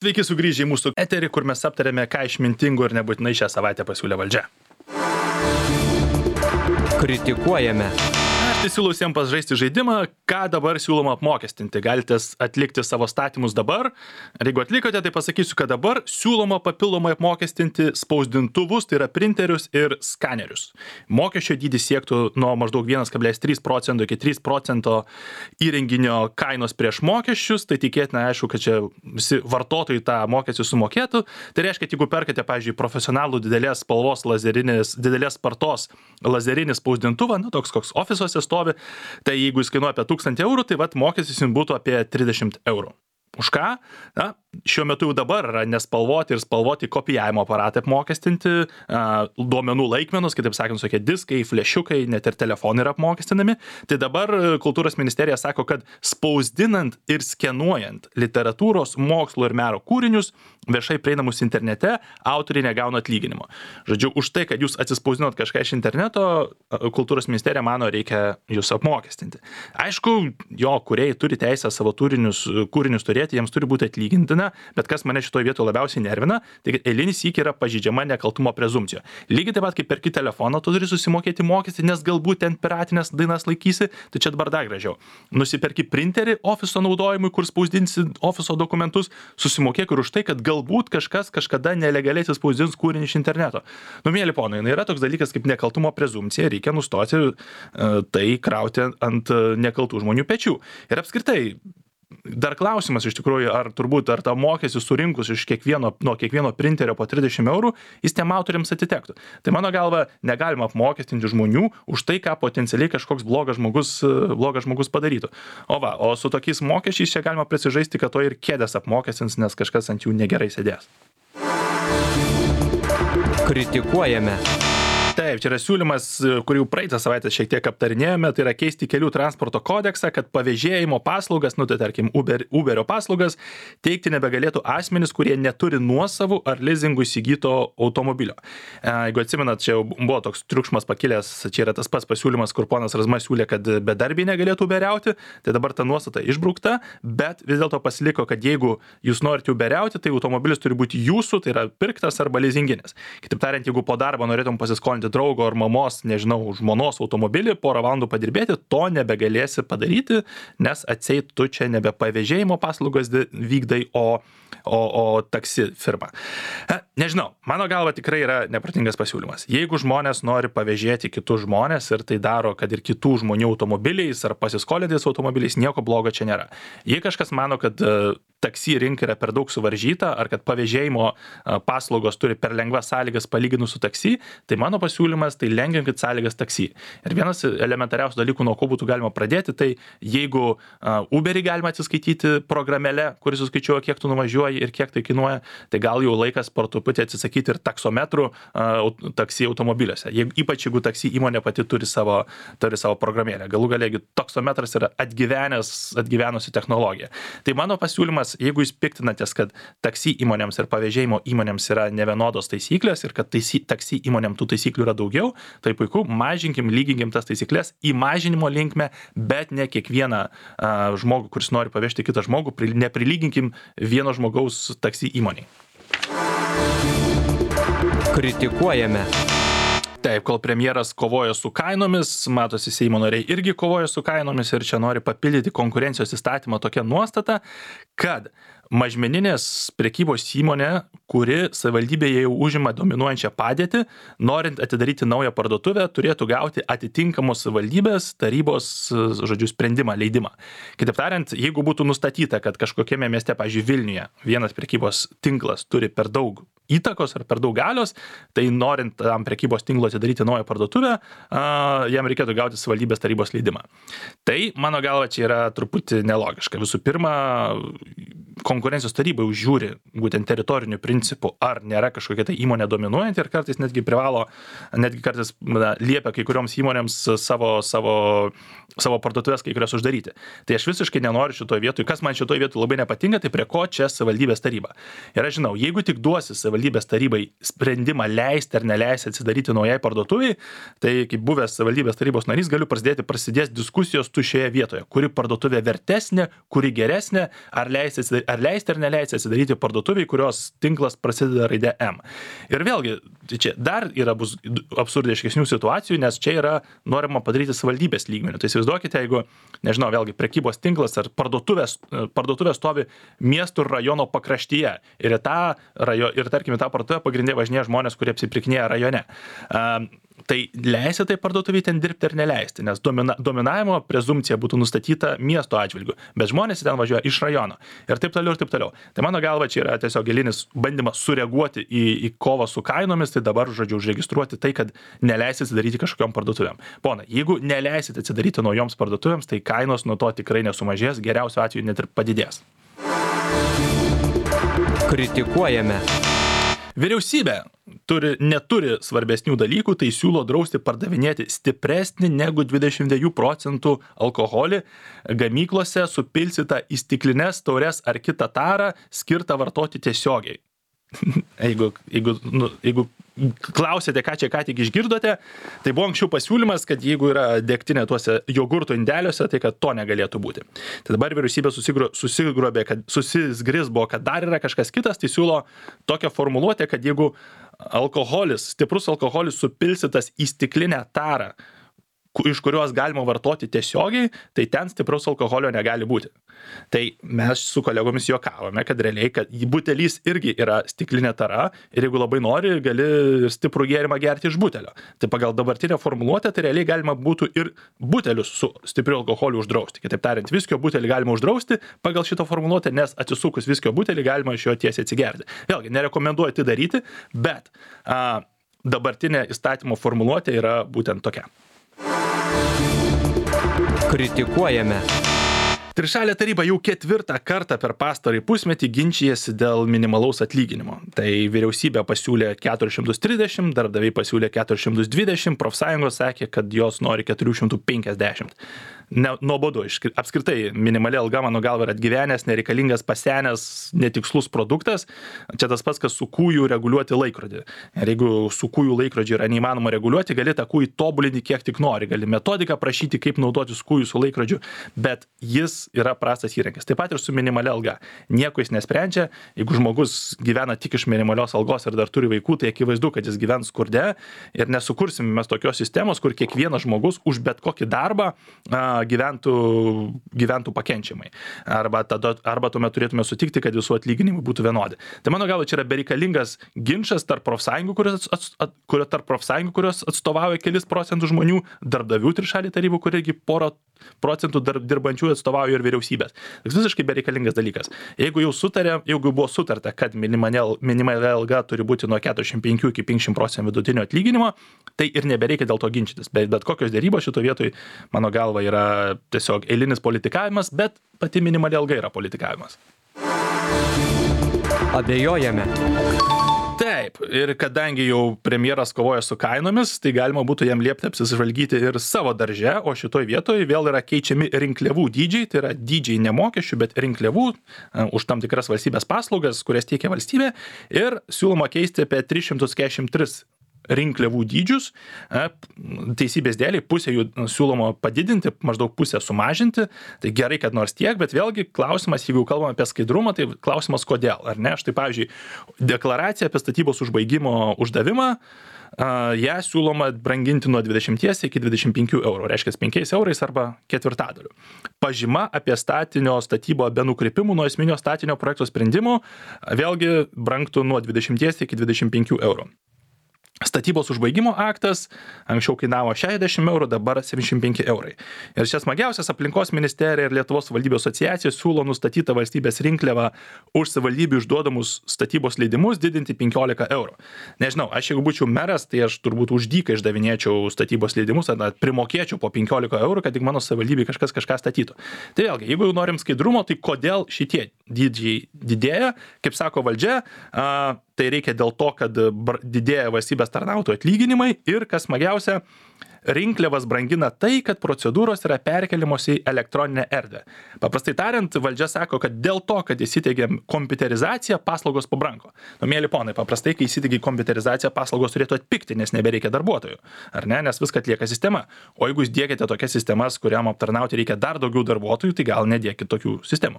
Sveiki sugrįžę į mūsų eterį, kur mes aptarėme, ką išmintingo ir nebūtinai šią savaitę pasiūlė valdžia. Kritikuojame. Aš tai siūlau visiems pažaisti žaidimą, ką dabar siūloma apmokestinti. Galite atlikti savo statymus dabar. Ir jeigu atlikote, tai pasakysiu, kad dabar siūloma papildomai apmokestinti spausdintuvus, tai yra printerius ir skanerius. Mokesčio dydis siektų nuo maždaug 1,3% iki 3% įrenginio kainos prieš mokesčius. Tai tikėtina, aišku, kad čia visi vartotojai tą mokestį sumokėtų. Tai reiškia, kad jeigu perkate, pavyzdžiui, profesionalų didelės spalvos didelės spartos lazerinį spausdintuvą, toks koks ofisuose stovi, tai jeigu jis kainuoja apie 1000 eurų, tai mokestis jums būtų apie 30 eurų. Už ką? Šiuo metu jau dabar yra nespalvoti ir spalvoti kopijavimo aparatai apmokestinti, duomenų laikmenos, kitaip sakant, tokie diskai, flešiukai, net ir telefonai yra apmokestinami. Tai dabar kultūros ministerija sako, kad spausdinant ir skenuojant literatūros, mokslo ir meno kūrinius viešai prieinamus internete, autoriai negauna atlyginimo. Žodžiu, už tai, kad jūs atsispausdinot kažką iš interneto, kultūros ministerija mano, reikia jūs apmokestinti. Aišku, jo kūrėjai turi teisę savo kūrinius turėti, jiems turi būti atlygintina, bet kas mane šitoje vietoje labiausiai nervina, tai kad eilinį sykį yra pažeidžiama nekaltumo prezumpcija. Lygiai taip pat, kaip perki telefoną, tu turi susimokėti mokestį, nes galbūt ten piratinės dainas laikysi, tai čia dabar dar gražiau. Nusiperki printerį ofiso naudojimui, kur spausdinsi ofiso dokumentus, susimokėk ir už tai, kad galbūt kažkas kažkada nelegaliai atsispausdins kūrinį iš interneto. Mėly ponai, yra toks dalykas kaip nekaltumo prezumpcija, reikia nustoti tai krauti ant nekaltų žmonių pečių. Ir apskritai, dar klausimas iš tikrųjų, ar tą mokestį surinkus nuo kiekvieno printerio po 30 eurų, jis tiem autoriams atitektų. Tai mano galva, negalima apmokestinti žmonių už tai, ką potencialiai kažkoks blogas žmogus padarytų. O su tokiais mokesčiais čia galima prisižaisti, kad to ir kėdės apmokestins, nes kažkas ant jų negerai sėdės. Kritikuojame. Taip, čia yra siūlymas, kurį praeitą savaitę šiek tiek aptarinėjome, tai yra keisti kelių transporto kodeksą, kad pavėžėjimo paslaugas, tai tarkim Uberio paslaugas, teikti nebegalėtų asmenys, kurie neturi nuosavų ar lizingų įsigyto automobilio. Jeigu atsimenat, čia buvo toks triukšmas pakilęs, čia yra tas pats pasiūlymas, kur ponas Razma siūlė, kad bedarbiai negalėtų uberiauti, tai dabar ta nuostata išbraukta, bet vis dėlto pasiliko, kad jeigu jūs norite uberiauti, tai automobilis turi būti jūsų, tai yra pirktas arba lizinginis. Kitaip tariant, jeigu po darbo norėtum pasiskolinti draugo ar mamos, žmonos automobilį, porą valandų padirbėti, to nebegalėsi padaryti, nes atseit tu čia nebe pavėžėjimo paslaugas vykdai, o taksi firma. Nežinau, mano galva tikrai yra neprotingas pasiūlymas. Jeigu žmonės nori pavėžėti kitus žmonės ir tai daro, kad ir kitų žmonių automobiliais ar pasiskolintais automobiliais, nieko blogo čia nėra. Jei kažkas mano, kad taksi rinka yra per daug suvaržyta, ar kad pavėžėjimo paslaugos turi per lengvas sąlygas palyginus su taksi, tai mano pasiūlymas, tai lengvinkit sąlygas taksi. Ir vienas elementariausių dalykų, nuo ko būtų galima pradėti, tai jeigu Uberį galima atsiskaityti programėle, kuris suskaičiuoja, kiek tu nuvažiuoji ir kiek tai kainuoja, tai gal jau laikas po truputį atsisakyti ir taksometrų taksi automobiliuose. Ypač jeigu taksi įmonė pati turi savo programėlę. Galų gale, jeigu taksometras yra atgyvenusi technologija. Tai mano pasiūlymas, jeigu jūs piktinatės, kad taksi įmonėms ir pavėžėjimo įmonėms yra nevienodos taisyklės ir kad taksi įmonėm tų taisyklių yra daugiau, tai puiku, lyginkim tas taisyklės į mažinimo linkmę, bet ne kiekvieną žmogų, kuris nori pavežti kitą žmogų, neprilyginkim vieno žmogaus taksi įmoniai. Kritikuojame. Taip, kol premjeras kovoja su kainomis, matosi Seimo nariai irgi kovoja su kainomis ir čia nori papildyti konkurencijos įstatymą tokia nuostata, kad mažmeninės prekybos įmonė, kuri savivaldybėje jau užima dominuojančią padėtį, norint atidaryti naują parduotuvę, turėtų gauti atitinkamos savivaldybės tarybos, sprendimą, leidimą. Kitaip tariant, jeigu būtų nustatyta, kad kažkokiame mieste, pavyzdžiui, Vilniuje, vienas prekybos tinklas turi per daug įtakos ar per daug galios, tai norint tam prekybos tinklo atidaryti naują parduotuvę, jam reikėtų gauti savivaldybės tarybos leidimą. Tai, mano galva, čia yra truputį nelogiška. Visų pirma, konkurencijos taryba žiūri būtent teritorinių principų, ar nėra kažkokia tai įmonė dominuojanti ir kartais netgi kartais liepia kai kurioms įmonėms savo parduotuvės kai kurias uždaryti. Tai aš visiškai nenoriu šitoje vietoje. Kas man šitoje vietoje labai nepatinka, tai prie ko čia savivaldybės taryba. Ir aš žinau, jeigu tik duosi savivaldybės savivaldybės tarybai sprendimą leisti ar neleisti atsidaryti naujai parduotuviai, tai kaip buvęs savivaldybės tarybos narys galiu prasidės diskusijos šioje vietoje, kuri parduotuvė vertesnė, kuri geresnė, ar leisti ar neleisti atsidaryti parduotuviai, kurios tinklas prasideda raide M. Ir vėlgi, čia dar bus absurdiškesnių situacijų, nes čia yra norima padaryti savivaldybės lygmeniu. Tai įsivaizduokite, jeigu, nežinau, vėlgi prekybos tinklas ar parduotuvė stovi miestų ir rajono pakraštyje ir tarkim, tą parduotuvę pagrindė važinėja žmonės, kurie apsipirkinėja rajone. Tai leisti tai parduotuviai ten dirbti ar neleisti, nes dominavimo prezumpcija būtų nustatyta miesto atžvilgiu, bet žmonės ten važiuoja iš rajono ir taip toliau ir taip toliau. Tai mano galva čia yra tiesiog gilinis bandymas sureaguoti į kovą su kainomis, tai dabar, žodžiu, užregistruoti tai, kad neleisit atsidaryti kažkokiom parduotuvėm. Pona, jeigu neleisit atsidaryti naujoms parduotuvėms, tai kainos nuo to tikrai nesumažės, geriausiu atveju net ir padidės. Kritikuojame. Vyriausybė neturi svarbesnių dalykų, tai siūlo drausti pardavinėti stipresnį negu 22% alkoholį gamyklose supilstytą į stiklines, taures ar kitą tarą skirtą vartoti tiesiogiai. Jeigu klausėte, ką tik išgirdote, tai buvo anksčiau pasiūlymas, kad jeigu yra degtinė tuose jogurto indeliuose, tai kad to negalėtų būti. Tai dabar vyriausybė susizgrisbo, kad dar yra kažkas kitas, tai siūlo tokią formuluotę, kad jeigu stiprus alkoholis supilstytas į stiklinę tarą, iš kurios galima vartoti tiesiogiai, tai ten stipraus alkoholio negali būti. Tai mes su kolegomis juokavome, kad realiai, kad butelys irgi yra stiklinė tara ir jeigu labai nori, gali stiprų gėrimą gerti iš butelio. Tai pagal dabartinę formuluotę, tai realiai galima būtų ir butelius su stipriu alkoholiu uždrausti. Kitaip tariant, viskio butelį galima uždrausti pagal šitą formuluotę, nes atsisukus viskio butelį galima iš jo tiesiai atsigerti. Vėlgi, nerekomenduoju tai daryti, bet dabartinė įstatymo formuluotė yra būtent tokia. Kritikuojame. Trišalė taryba jau 4 kartą per pastarąjį pusmetį ginčijasi dėl minimalaus atlyginimo. Tai vyriausybė pasiūlė 430, darbdaviai pasiūlė 420, profsąjungos sakė, kad jos nori 450. Nuobodu. Apskritai, minimali alga, mano galva, yra atgyvenęs, nereikalingas, pasenęs, netikslus produktas. Čia tas pats, kas su kūjų reguliuoti laikrodį. Ir jeigu su kūjų laikrodžiu yra neįmanoma reguliuoti, gali tą kūjį tobulinti kiek tik nori. Gali metodiką prašyti, kaip naudotis kūjų su laikrodžiu, bet jis yra prastas įrankis. Taip pat ir su minimali alga. Nieko jis nesprendžia. Jeigu žmogus gyvena tik iš minimalios algos ir dar turi vaikų, tai akivaizdu, kad jis gyvens skurde ir nesukursime mes tokios sistemos, kur kiekvienas žmogus už bet kokį darbą gyventų pakenčiamai. Arba tuomet turėtume sutikti, kad visų atlyginimai būtų vienodi. Tai mano galva, čia yra bereikalingas ginčas tarp profsąjungų, kurios atstovauja kelis procentų žmonių, darbdavių trišalį tarybų, kur irgi porą procentų dirbančių atstovauja ir vyriausybės. Tai visiškai bereikalingas dalykas. Jeigu buvo sutarta, kad minimali alga turi būti nuo 45 iki 50% vidutinio atlyginimo, tai ir nebereikia dėl to ginčytis. Bet kokios dėrybos šito vietoj, mano galva, yra tiesiog eilinis politikavimas, bet pati minimali alga yra politikavimas. Abejojame. Taip, ir kadangi jau premjeras kovoja su kainomis, tai galima būtų jam liepti apsižvalgyti ir savo darže, o šitoj vietoj vėl yra keičiami rinkliavų dydžiai, tai yra dydžiai ne mokesčių, bet rinkliavų už tam tikras valstybės paslaugas, kurias teikia valstybė, ir siūloma keisti apie 343 rinkliavų dydžius, teisybės dėliai pusę jų siūloma padidinti, maždaug pusę sumažinti, tai gerai, kad nors tiek, bet vėlgi klausimas, jeigu kalbame apie skaidrumą, tai klausimas kodėl, ar ne? Štai pavyzdžiui, deklaracija apie statybos užbaigimo uždavimą, ją siūloma branginti nuo 20 iki 25 eurų, reiškia 5 eurais arba ketvirtadaliu. Pažyma apie statinio statybą be nukrypimų nuo esminio statinio projekto sprendimo vėlgi brangtų nuo 20 iki 25 eurų. Statybos užbaigimo aktas anksčiau kainavo 60 eurų, dabar 75 eurai. Ir čia smagiausias aplinkos ministerija ir Lietuvos savivaldybių asociacija siūlo nustatytą valstybės rinkliavą už savivaldybių išduodamus statybos leidimus didinti 15 eurų. Nežinau, aš jeigu būčiau meras, tai aš turbūt už dyką išdavinėčiau statybos leidimus, ar primokėčiau po 15 eurų, kad tik mano savivaldybėje kažką statytų. Tai vėlgi, jeigu jau norim skaidrumo, tai kodėl šitie dydžiai didėja, kaip sako valdžia, tai reikia dėl to, kad didėja valstybės tarnautojų atlyginimai ir, kas smagiausia, rinkliavas brangina tai, kad procedūros yra perkeliamos į elektroninę erdvę. Paprastai tariant, valdžia sako, kad dėl to, kad įsiteigėm kompiuterizaciją, paslaugos pabrango. Mėly ponai, paprastai, kai įsiteigi kompiuterizaciją, paslaugos turėtų atpigti, nes nebereikia darbuotojų. Ar ne? Nes viską atlieka sistema. O jeigu jūs diegiate tokias sistemas, kuriam aptarnauti reikia dar daugiau darbuotojų, tai gal nedėkit tokių sistemų.